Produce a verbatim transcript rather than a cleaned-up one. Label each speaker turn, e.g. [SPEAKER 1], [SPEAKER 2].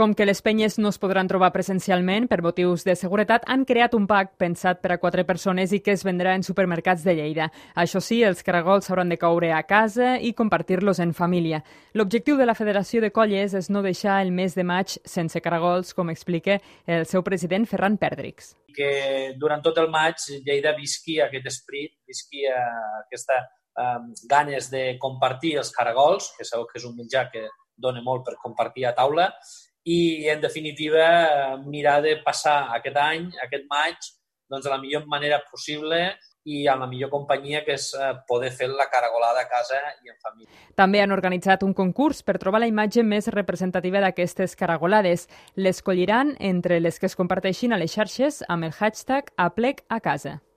[SPEAKER 1] Com que les penyes no es podran trobar presencialment per motius de seguretat, han creat un pack pensat per a quatre persones i que es vendrà en supermercats de Lleida. Això sí, els caragols s'hauran de coure a casa i compartir-los en família. L'objectiu de la Federació de Colles és no deixar el mes de maig sense caragols, com explica el seu president Ferran Perdrix.
[SPEAKER 2] Que durant tot el maig Lleida visqui aquest esperit, visqui aquesta um, ganes de compartir els caragols, que sabeu que és un menjar que dona molt per compartir a taula, i, en definitiva, mirar de passar aquest any, aquest maig, doncs, de la millor manera possible i amb la millor companyia, que és poder fer la caragolada a casa i en família.
[SPEAKER 1] També han organitzat un concurs per trobar la imatge més representativa d'aquestes caragolades. L'escolliran entre les que es comparteixin a les xarxes amb el hashtag Aplec a casa.